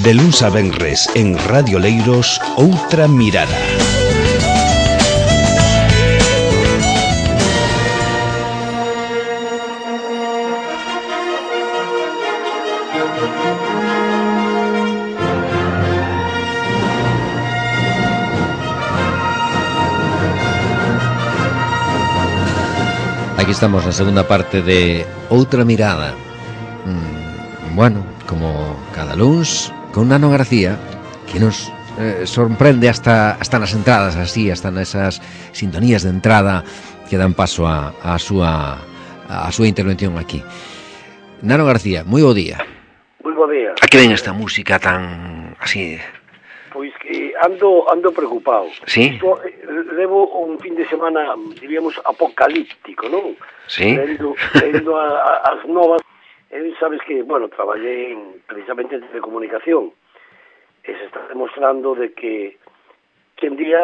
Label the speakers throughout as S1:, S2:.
S1: De luns a venres en Radio Leiros, Outra Mirada.
S2: Aquí estamos na segunda parte de Outra Mirada. Bueno, como cada luns, con Nano García, que nos sorprende hasta nas entradas, así, hasta nesas sintonías de entrada que dan paso a súa intervención aquí. Nano García, moi bo día.
S3: Moi bo día.
S2: A que ven esta música tan así?
S3: Pois que ando preocupado.
S2: Sí?
S3: Levo un fin de semana, diríamos, apocalíptico, non?
S2: Sí?
S3: Lendo as novas. Sabes que, bueno, traballei precisamente en telecomunicación e se está demostrando de que en día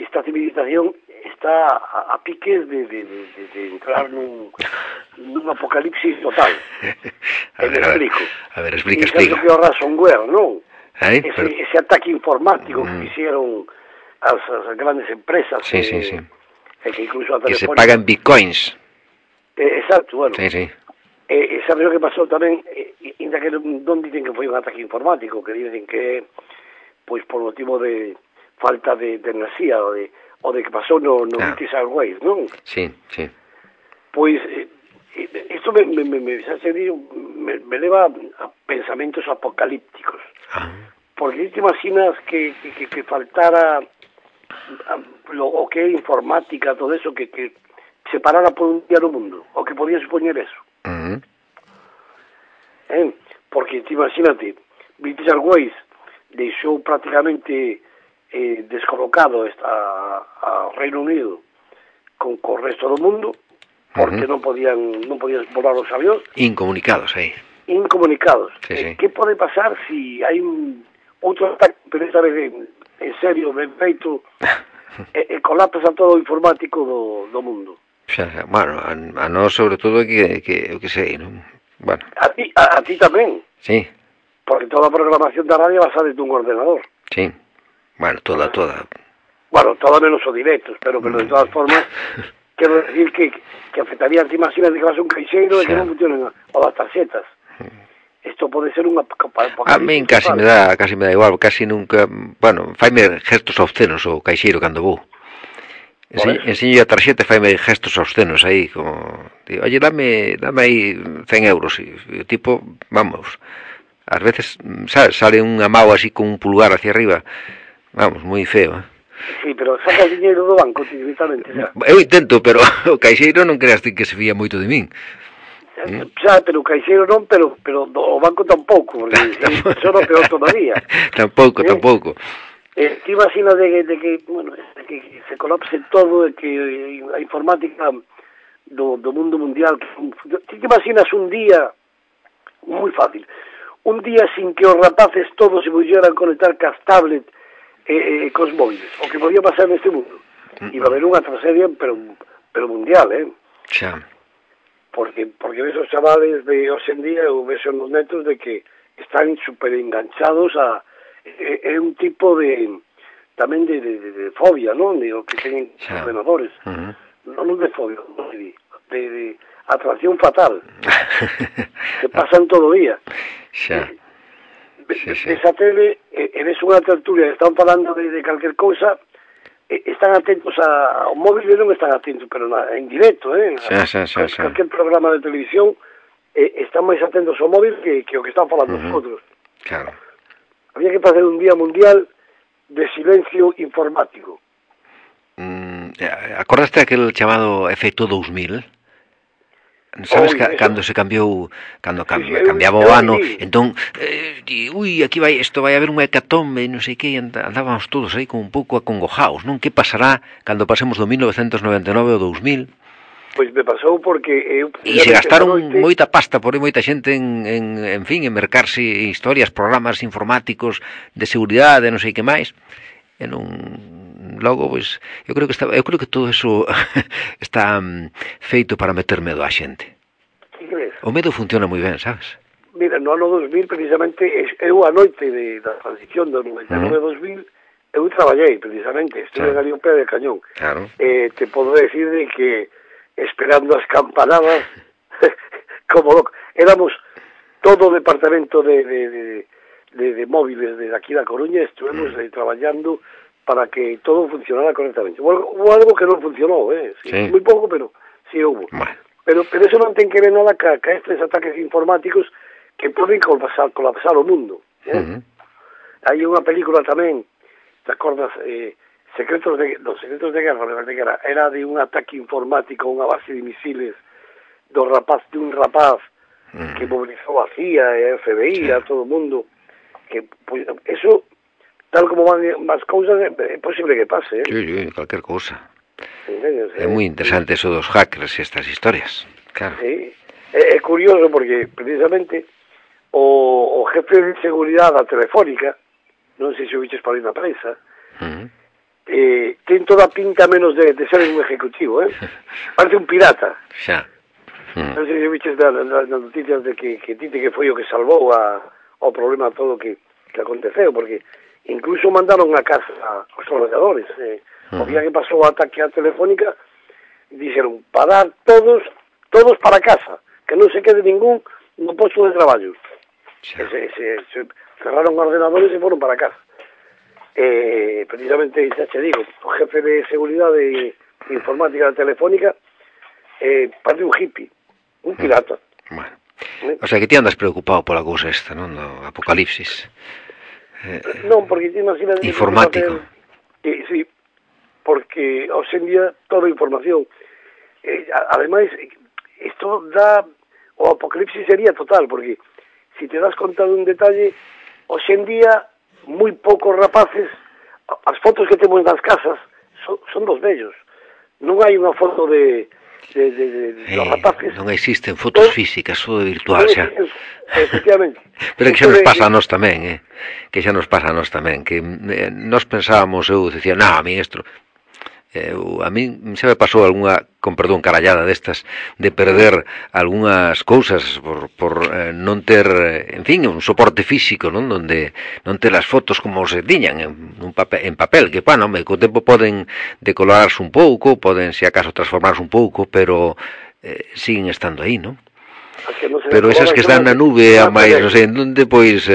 S3: esta civilización está a piques de entrar nun apocalipsis total.
S2: A ver, explica.
S3: Sabes que o ransomware, non?
S2: Pero...
S3: Ese ataque informático que hicieron as grandes empresas
S2: sí.
S3: que incluso a
S2: que se
S3: Telefónica
S2: pagan bitcoins.
S3: Exacto, bueno.
S2: Sí.
S3: Sabes o que pasou tamén, ainda que non dicen que foi un ataque informático, que dicen que pois por motivo de falta de enerxía o de que pasou no British Airways, non?
S2: Sí.
S3: Pois isto me leva a pensamentos apocalípticos. Porque te imaginas que faltara o que é informática, todo eso, que separara por un día no mundo, o que podía supoñer eso. Porque te imagínate, British Airways deixou prácticamente descolocado ao Reino Unido con o resto do mundo, porque non podían volar os avións.
S2: Incomunicados,
S3: Incomunicados.
S2: Sí.
S3: Que pode pasar si hai outro ataque, pero esta vez en serio, ben feito, colapsa todo o informático do mundo?
S2: Bueno, a nós sobre todo que sei, non? Bueno.
S3: A ti tamén.
S2: Sí.
S3: Porque toda a programación da radio basada dun ordenador.
S2: Sí. Bueno, toda.
S3: Bueno, todo menos o directos, pero de todas formas, quero decir que afectaría, te imaginas de que vas a un caixeiro e que non funcionen o das tarxetas. Isto pode ser unha...
S2: A min casi me dá igual, casi nunca... Bueno, faime gestos obscenos o caixeiro cando vou. Enseño a tarxeta e faime gestos obscenos aí, como... Digo, oye, dame aí 100 euros. E o tipo, vamos, ás veces, sabes, sale unha mao así con un pulgar hacia arriba. Vamos, moi feo,
S3: Sí, pero saca o diñeiro do banco directamente, xa.
S2: Eu intento, pero o caixeiro non creas que se fía moito de min.
S3: Xa, pero o caixeiro non, pero o banco tampouco, porque eso non peor todavía.
S2: Tampouco.
S3: Te imaginas de que se colapse todo, de que a informática do mundo mundial... Te imaginas un día, moi fácil, un día sin que os rapaces todos se pudieran conectar cas tablet cos móviles, o que podía pasar neste mundo. Iba a haber unha tragedia, pero mundial,
S2: Xa.
S3: Porque ves os chavales de hoxe en día, ou ves nos netos de que están super enganchados a un tipo de tamén de fobia, non? De o que teñen ordenadores. Non de fobia, de atracción fatal. Se pasan todo o día.
S2: Xa.
S3: Esa tele, ves unha tertulia, están falando de calquer cousa, están atentos ao móvil, non están atentos, pero en directo,
S2: Xa.
S3: Calquer programa de televisión están máis atentos ao móvil que o que están falando os outros.
S2: Claro.
S3: Había que facer un día mundial de silencio informático.
S2: Acordaste aquel chamado efecto 2000? Sabes cando se cambiou, cando cambiaba o ano, entón, aquí isto vai haber unha hecatombe, non sei que, andábamos todos aí como un pouco acongojaos, non? Que pasará cando pasemos do 1999 ao 2000?
S3: Pois me pasou porque...
S2: E se gastaron moita pasta, por aí moita xente en fin, en mercarse historias, programas informáticos de seguridade, non sei que máis, e non... Logo, pois, eu creo que todo eso está feito para meter medo á xente.
S3: Que crees?
S2: O medo funciona moi ben, sabes?
S3: mira, no ano 2000 precisamente eu a noite da transición do 99 a 2000 eu traballei precisamente, estuve ali ao pé de cañón.
S2: Claro.
S3: Te podo decir de que esperando as campanadas como loco, éramos todo o departamento de móviles de aquí da Coruña, estuvemos traballando para que todo funcionara correctamente. Hubo algo que non funcionou, sí. Moi pouco, pero sí hubo.
S2: Bueno.
S3: Pero eso non ten que ver nada ca estes ataques informáticos que poden colapsar o mundo. Hai unha película tamén, te acordas, Secretos de Guerra, me parece que era de un ataque informático a unha base de misiles de un rapaz que movilizou a CIA e a FBI, a todo o mundo, que pues, eso, tal como van as cousas, é posible que pase,
S2: Sí, cualquier cousa. É moi interesante eso dos hackers e estas historias, claro.
S3: Sí, é curioso porque precisamente o jefe de seguridade da Telefónica, non sei se o viches por aí na prensa, ten toda a pinta menos de ser un ejecutivo, parece un pirata.
S2: Xa.
S3: Non sei se viches das noticias de que dite que foi o que salvou ao problema todo que aconteceu, porque incluso mandaron a casa aos traballadores, o día que pasou o ataque a Telefónica, dixeron, parar todos para casa, que non se quede ningún no posto de traballo. Se cerraron ordenadores e foron para casa. Precisamente, xa che digo, o jefe de seguridade informática da Telefónica parece un hippie, un pirata.
S2: Bueno. O sea, que ti andas preocupado pola cousa esta, non? Do apocalipsis.
S3: Non, porque ti imaginas...
S2: Informático.
S3: Sí, porque hoxe en día toda a información ademais isto dá o apocalipsis sería total, porque si te das conta dun detalle, hoxe en día moi poucos rapaces, as fotos que temos nas casas son dos vellos, non hai unha foto de dos rapaces,
S2: non existen fotos físicas, todo virtual xa.
S3: Efectivamente.
S2: Pero que xa nos pasa a nós tamén, que xa nos pasa a nós tamén, que nós pensábamos, eu dicía, a mí isto, a mí xa me pasou algunha, con perdón, carallada destas, de perder algunhas cousas por non ter, en fin, un soporte físico, non, donde non ter as fotos como se tiñan en papel, que, bueno, co tempo poden decolorarse un pouco, poden, se acaso, transformarse un pouco, pero siguen estando aí, non? Pero esas que están na nube, a máis, non sei, onde, pois,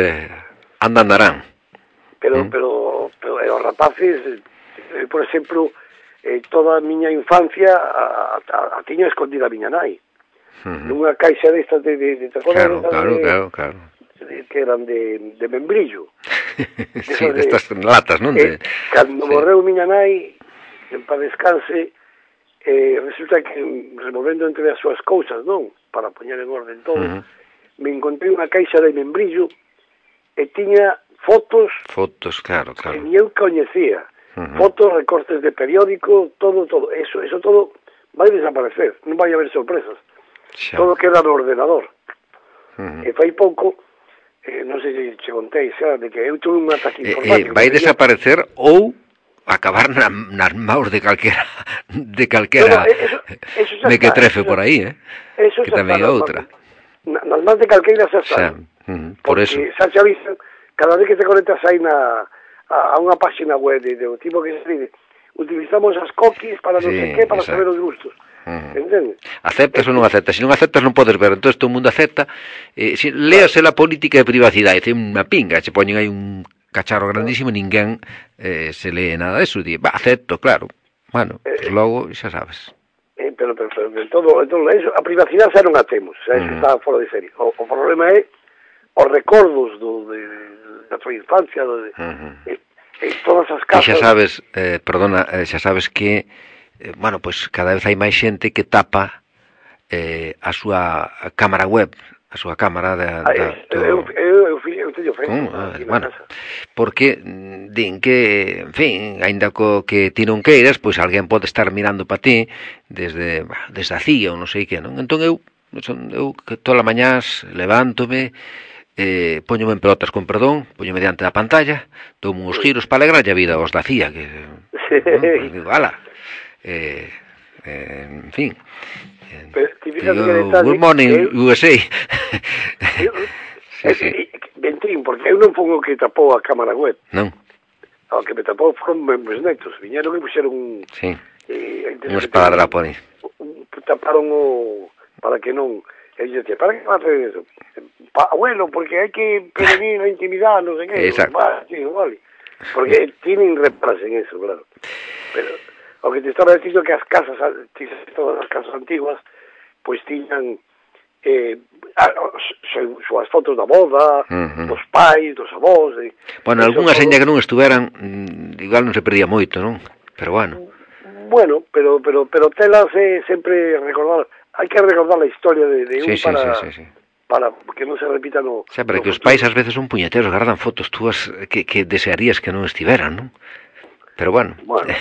S2: andarán.
S3: Pero os rapaces, por exemplo, toda a miña infancia a tiña escondida a miña nai. Nunha caixa destas de
S2: claro.
S3: Que eran de membrillo.
S2: Sí, destas latas, non?
S3: Cando morreu miña nai, en paz descanse, resulta que removendo entre as súas cousas, non? Para poñer en orden todo, me encontrei unha caixa de membrillo e tiña fotos,
S2: claro.
S3: Que ni eu coñecía. Fotos, recortes de periódico, todo. Eso todo vai desaparecer, non vai haber sorpresas. Todo queda no ordenador. E fai pouco, non sei se che contei xa, de que eu tuve un ataque informático.
S2: Vai desaparecer ou acabar nas maus de calquera mequetrefe por aí, que tamén é outra.
S3: Nas más de calqueira xa está.
S2: Por eso.
S3: Xa te avisan, cada vez que te conectas aí a unha página web de tipo que se dice, utilizamos as cookies para non sei que, para saber os gustos. Entende?
S2: Aceptas ou non aceptas? Se non aceptas non podes ver, entón todo o mundo acepta. Léase la política de privacidade, é unha pinga, se poñen aí un cacharro grandísimo, ninguén se lee nada de eso, di, acepto, claro. Bueno, pues logo xa sabes.
S3: Pero todo eso, a privacidade xa non a temos, xa está fora de serie. O problema é os recordos da tua infancia, todas as casas...
S2: E xa sabes, xa sabes que, bueno, pois cada vez hai máis xente que tapa a súa cámara web, a súa cámara
S3: eu teño frente
S2: bueno, porque din que, en fin, aínda que ti non queiras, pois alguén pode estar mirando para ti desde a CIA ou non sei que, non? Entón eu que todas as mañás levántome, poñome en pelotas con perdón, poñome diante da pantalla, tomo uns giros para alegrar a vida aos da CIA, que digo, ala, en fin,
S3: good
S2: morning USA. sí.
S3: Ventrín, porque eu non pongo que tapou a cámara web.
S2: Non?
S3: O que me tapou foron meus netos. Viñeron e puxeron
S2: Sí. Un esparadrapo ali.
S3: Taparon o... para que non... E eu dicía, para que vas a hacer eso? Abuelo, porque hai que prevenir a intimidade, non sei que.
S2: Exacto.
S3: Vale. Porque tienen reparos en eso, claro. Pero o que te estaba dicindo que as casas, todas as casas antiguas, pois tiñan súas fotos da boda, dos pais, dos avós.
S2: Bueno, algunhas ainda que non estuveran, igual non se perdía moito, non? Pero bueno.
S3: Bueno, pero telas sempre recordar, hai que recordar a historia de un
S2: sí.
S3: para que non se repita no...
S2: Xa, pero que os pais ás veces son puñeteros, gardan fotos túas que desearías que non estiveran, non? Pero bueno.
S3: Bueno,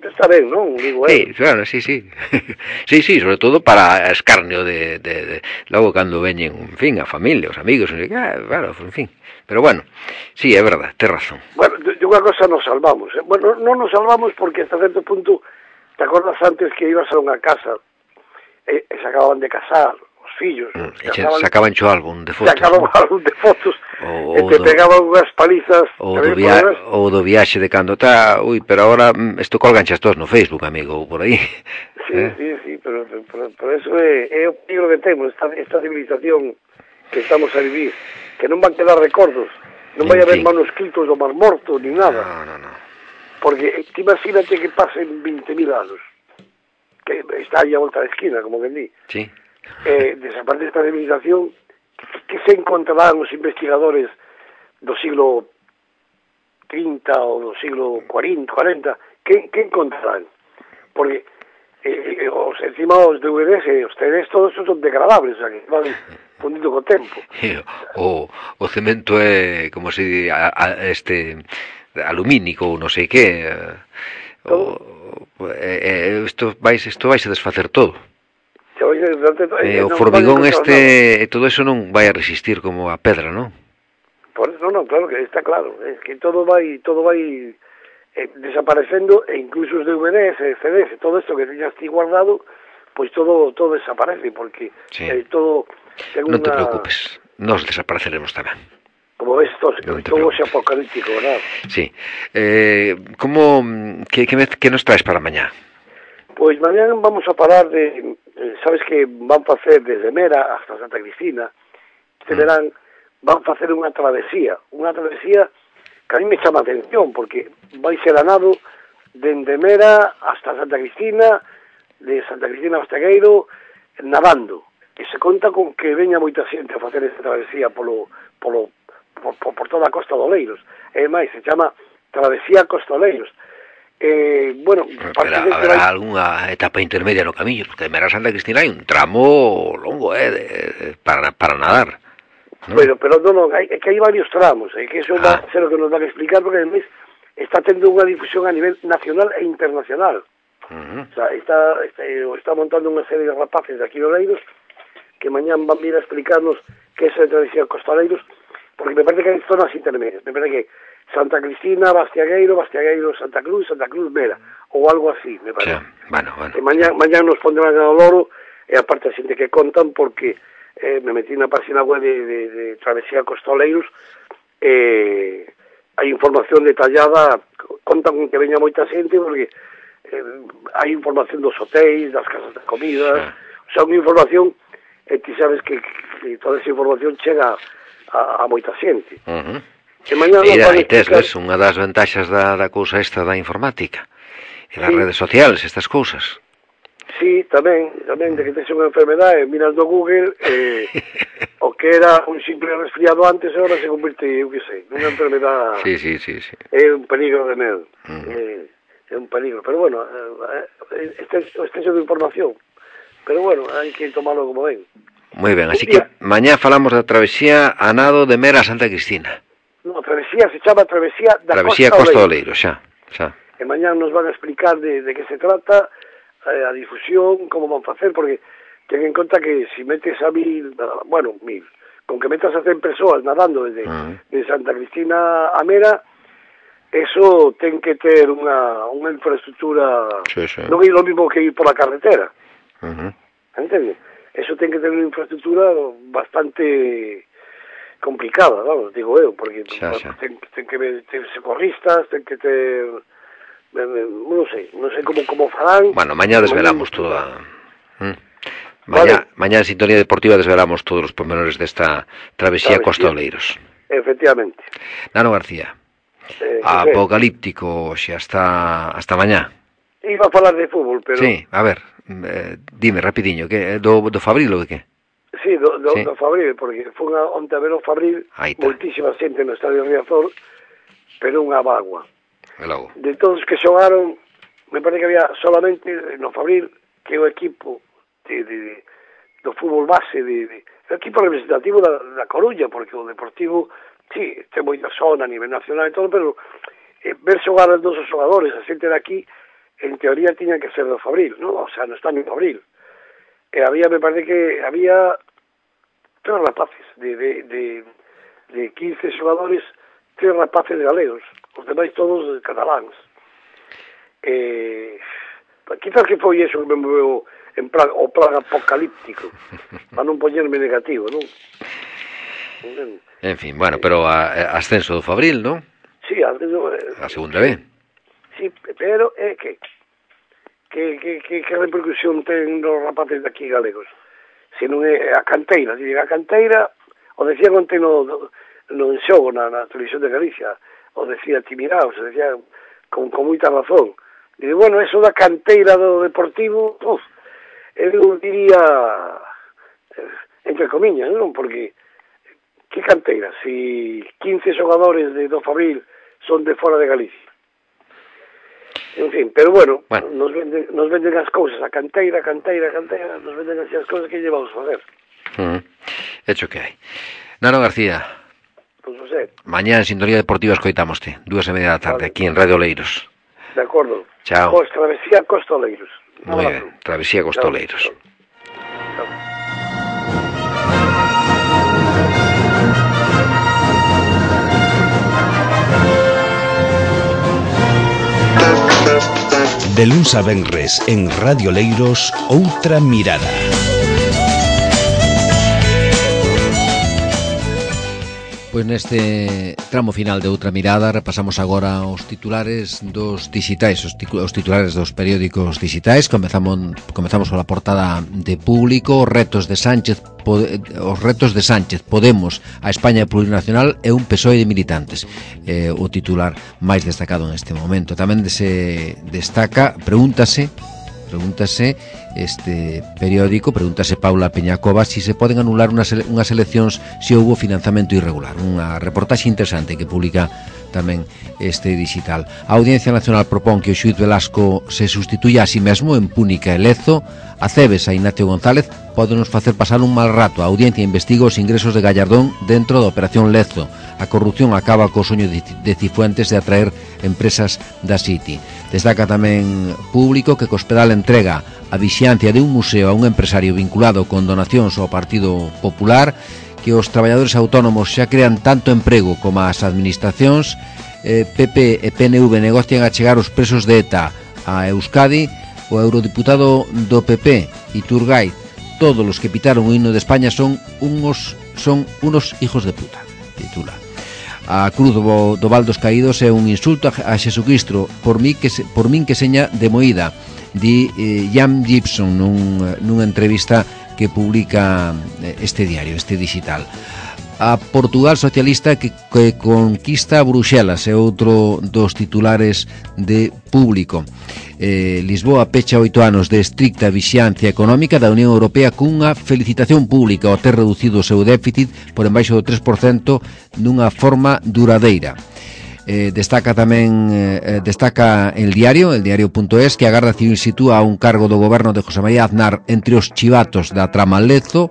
S3: está ben, non? Digo,
S2: sí, claro, sí. Sí, sobre todo para escarnio de logo cando veñen, en fin, a familia, os amigos, claro, en fin. Pero bueno, sí, é verdad, tes razón.
S3: Bueno, de unha cosa nos salvamos. Bueno, non nos salvamos porque hasta certo punto, te acordas antes que ibas a unha casa e se acababan de casar, os fillos.
S2: Sacaban o álbum de fotos.
S3: Sacaban o álbum de fotos e te pegaban unhas palizas.
S2: Ou do viaxe de cando está, pero agora isto colganchas todos no Facebook, amigo, ou por aí.
S3: Sí, pero eso é o peligro que temos, esta civilización que estamos a vivir, que non van quedar recordos, non vai haber manuscritos do Mar Morto, ni nada.
S2: No.
S3: Porque imagínate que pasen 20.000 anos, que está aí a volta da esquina, como que di.
S2: Sí.
S3: Desaparece esta civilización, que se encontrarán os investigadores do siglo 30 ou do siglo 40, que encontrarán? Porque encima os DVDs e os CDs todos son degradables, o sea, que van fundindo co tempo.
S2: O cemento é como se alumínico ou non sei que. Isto vai se desfacer todo. O formigón e todo eso non vai a resistir como a pedra, non?
S3: Non, claro que está claro, es que todo vai desaparecendo, e incluso os DVDs, CDs, todo esto que teñas ti guardado, pois todo desaparece, porque todo...
S2: Non te preocupes, nos desapareceremos tamén.
S3: Como ves, todo xe apocalíptico, ¿verdad?
S2: Sí. Que nos traes para mañá?
S3: Pois mañá vamos a parar de... sabes que van facer desde Mera hasta Santa Cristina, este verán, van facer unha travesía que a mí me chama a atención, porque vai ser a nado dende Mera hasta Santa Cristina, de Santa Cristina a Bastegueiro, nadando. E se conta con que veña moita xente a facer esta travesía por toda a Costa de Oleiros. E máis, se chama Travesía Costa Oleiros. Bueno,
S2: habrá algunha etapa intermedia no camiño, porque de Mera a Santa Cristina hai un tramo longo para nadar, ¿no?
S3: Pero non, é que hai varios tramos, que eso va a ser o que nos van a explicar, porque además está tendo unha difusión a nivel nacional e internacional. O sea, está montando unha serie de rapaces de aquí de Oleiros que mañán van vir a explicarnos que é esa travesía Costa Oleiros, porque me parece que hai zonas intermedias, me parece que Santa Cristina, Bastiagueiro, Santa Cruz, Mera, ou algo así, me parece.
S2: Bueno.
S3: E mañán nos pondrán ao loro, e aparte a xente que contan, porque me metí na página web de Travesía Costa Oleiros, hai información detallada, contan que veña moita xente, porque hai información dos hotéis, das casas de comidas, o sea, unha información, ti sabes que toda esa información chega a moita xente.
S2: Mira, aí tes unha das ventaxas da cousa esta da informática e das redes sociales, estas cousas.
S3: Sí, tamén de que tes unha enfermedade, miras no Google, o que era un simple resfriado antes, agora se convirte, eu que sei, nunha enfermedade.
S2: Sí.
S3: É un peligro de medo. É un peligro, pero bueno, exceso de información. Pero bueno, hai que tomarlo como ven.
S2: Moi ben, así que mañá falamos da travesía a nado de Mera a Santa Cristina.
S3: No, a travesía se chama Travesía da
S2: Costa Oleiros, xa.
S3: E mañá nos van a explicar de que se trata, a difusión, como van facer, porque ten en conta que se metes a 1.000, con que metas a 100 persoas nadando desde Santa Cristina a Mera, eso ten que ter unha infraestructura, non é lo mismo que ir por la carretera, entende? eso ten que ter unha infraestructura bastante complicada, vamos, digo eu, porque ten que ter socorristas, ten que ter, non sei como farán.
S2: Bueno, mañá desvelamos toda. Mañá en Sintonía Deportiva desvelamos todos os pormenores desta travesía Costa Oleiros.
S3: Efectivamente.
S2: Nano García, apocalíptico xa hasta mañá.
S3: Iba a falar de fútbol, pero...
S2: Sí, a ver, dime rapidiño, que do Fabril ou de que?
S3: Sí, do Fabril, porque fue onte a ver o Fabril, moitísima xente no Estadio Riazor, pero unha bagua. De todos que xogaron, me parece que había solamente no Fabril, que o equipo do fútbol base, o equipo representativo da Coruña, porque o Deportivo, sí, ten moita zona a nivel nacional e todo, pero ver xogar os dos xogadores, a xente de aquí, en teoría tiñan que ser do Fabril, ¿no? O sea, no está en Fabril. Me parece que había 3 rapaces de 15 xogadores, 3 rapaces galegos, os demais todos cataláns. Quizás que foi eso que me moveu en plan apocalíptico, para non poñerme negativo, non?
S2: En fin, bueno, pero ascenso do Fabril, non?
S3: Sí,
S2: a segunda B.
S3: Sí, pero que repercusión ten os rapaces de aquí galegos? Se non é a canteira, o decían onte no xogo na televisión de Galicia, o decía Timiraos, o decía con moita razón. Dice, bueno, eso da canteira do Deportivo, eu diría entre comiñas, non? Porque que canteira? Si 15 xogadores do Fabril son de fora de Galicia. En fin, pero bueno. Nos venden as cousas, a canteira, nos venden así as cousas que llevamos a facer.
S2: Hecho que hai. Nano García,
S3: pues José,
S2: mañá en Sintonía Deportiva escoitámoste, 2:30 da tarde, aquí en Radio Oleiros.
S3: De acordo.
S2: Chao.
S3: Travesía Costa Oleiros.
S2: Muy bien, travesía Costa Oleiros.
S3: Chao.
S1: De luns a venres en Radio Oleiros, Outra Mirada.
S2: Pois neste tramo final de Outra Mirada repasamos agora os titulares dos digitais, os titulares dos periódicos digitais. Comezamos pola portada de Público, os retos de Sánchez, Podemos, a España plurinacional e un PSOE de militantes. O titular máis destacado neste momento. Tamén se destaca, pregúntase este periódico, pregúntase Paula Peñacova si se poden anular unhas eleccións se houbo financiamento irregular. Unha reportaxe interesante que publica tamén este digital. A Audiencia Nacional propón que o xuíz Velasco se sustituya a si mesmo en Púnica e Lezo. A Cebes a Ignacio González pódenos facer pasar un mal rato. A Audiencia investiga os ingresos de Gallardón dentro da Operación Lezo. A corrupción acaba co soño de Cifuentes de atraer empresas da City. Destaca tamén Público que Cospedal entrega a vixiancia de un museo a un empresario vinculado con donacións ao Partido Popular, que os traballadores autónomos xa crean tanto emprego como as administracións. PP e PNV negocian a chegar os presos de ETA a Euskadi. O eurodiputado do PP, Iturgaiz, todos os que pitaron o himno de España son unos hijos de puta, titula. A cruz do Val dos Caídos é un insulto a Xesucristo, por min que seña de moída, di Jan Gibson nunha entrevista que publica este diario, este digital. A Portugal socialista que conquista Bruxelas é outro dos titulares de Público. Lisboa pecha 8 anos de estricta vixiancia económica da Unión Europea cunha felicitación pública ao ter reducido o seu déficit por embaixo do 3% dunha forma duradeira. Destaca El Diario.es que a Garda Civil sitúa un cargo do goberno de José María Aznar entre os chivatos da trama Lezo.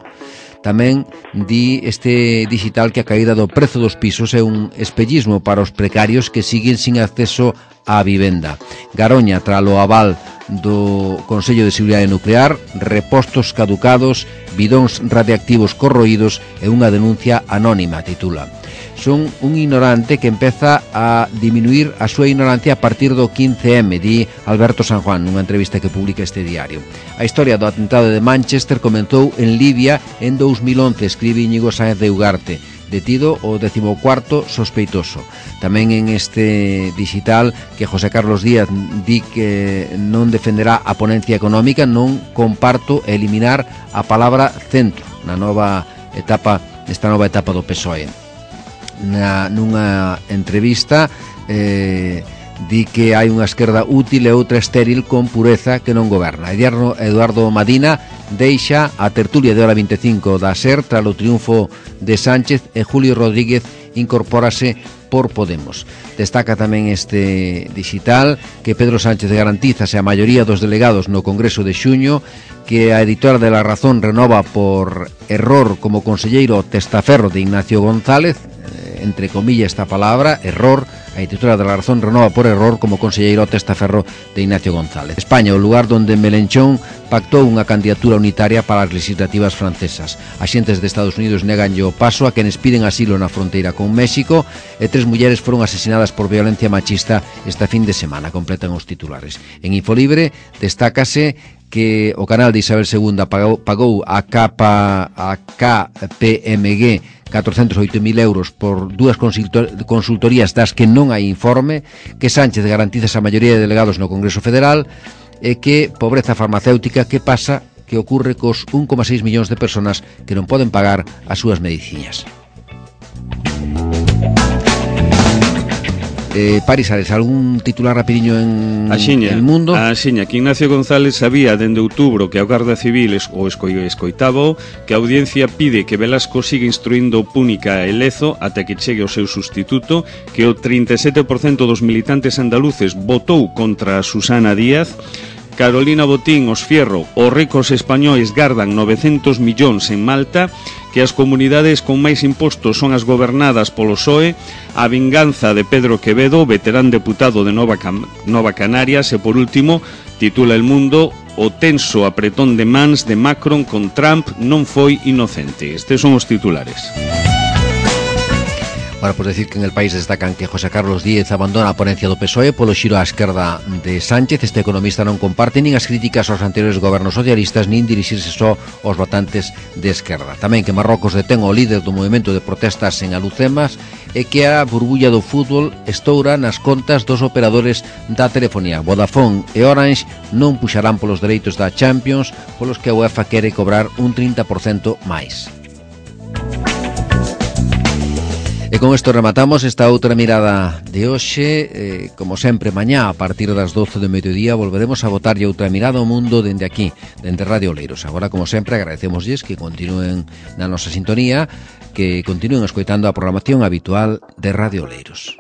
S2: Tamén di este digital que a caída do prezo dos pisos é un espellismo para os precarios que siguen sin acceso á vivenda. Garoña, tralo aval do Consello de Seguridade Nuclear, repostos caducados, bidóns radiactivos corroídos e unha denuncia anónima, titula. son un ignorante que empeza a diminuir a súa ignorancia a partir do 15M, di Alberto San Juan nunha entrevista que publica este diario. A historia do atentado de Manchester comenzou en Libia en 2011, escribe Íñigo Sáenz de Ugarte, detido o 14º sospeitoso. Tamén en este digital que José Carlos Díaz di que non defenderá a ponencia económica, non comparto eliminar a palabra centro na nova etapa do PSOE. Nunha entrevista di que hai unha esquerda útil e outra estéril con pureza que non goberna. Eduardo Madina deixa a tertulia de hora 25 da SER tras o triunfo de Sánchez e Julio Rodríguez incorpórase por Podemos. Destaca tamén este digital que Pedro Sánchez garantizase a maioría dos delegados no Congreso de xuño, que a editora de La Razón renova por error como conselleiro testaferro de Ignacio González, entre comillas esta palabra, error. A editora de La Razón renova por error como conselleiro testaferro de Ignacio González. España, o lugar donde Melenchón pactou unha candidatura unitaria para as legislativas francesas. Axentes de Estados Unidos neganlle o paso a quenes piden asilo na fronteira con México e 3 mulleres foron asesinadas por violencia machista esta fin de semana, completan os titulares. En Infolibre destácase que o canal de Isabel II pagou a KPMG 408.000 euros por dúas consultorías das que non hai informe, que Sánchez garantiza a maioría de delegados no Congreso Federal e que pobreza farmacéutica que pasa que ocurre cos 1,6 millóns de personas que non poden pagar as súas medicinas. Paris Ares, algún titular rapidiño en El Mundo?
S4: Axiña, que Ignacio González sabía dende outubro que a Garda Civil escoitaba que a audiencia pide que Velasco siga instruindo Púnica e Lezo ata que chegue o seu sustituto, que o 37% dos militantes andaluces votou contra Susana Díaz. Carolina Botín, os Fierro, os ricos españois gardan 900 millóns en Malta, que as comunidades con máis impostos son as gobernadas polo PSOE, a vinganza de Pedro Quevedo, veterán deputado de Nova Canarias, e por último, titula El Mundo, o tenso apretón de mans de Macron con Trump non foi inocente. Estes son os titulares.
S2: Bueno, pues decir que en El País destacan que José Carlos Díez abandona a ponencia do PSOE polo xiro á esquerda de Sánchez. Este economista non comparte nin as críticas aos anteriores gobernos socialistas nin dirixirse só aos votantes de esquerda. Tamén que Marrocos detén o líder do movimento de protestas en Alucemas e que a burbulla do fútbol estoura nas contas dos operadores da telefonía. Vodafone e Orange non puxarán polos dereitos da Champions, polos que a UEFA quere cobrar un 30% máis. E con isto rematamos esta outra mirada de hoxe. Como sempre, mañá a partir das 12 do mediodía volveremos a botarlle outra mirada ao mundo dende aquí, dende Radio Oleiros. Agora, como sempre, agradecemosles que continúen na nosa sintonía, que continúen escoitando a programación habitual de Radio Oleiros.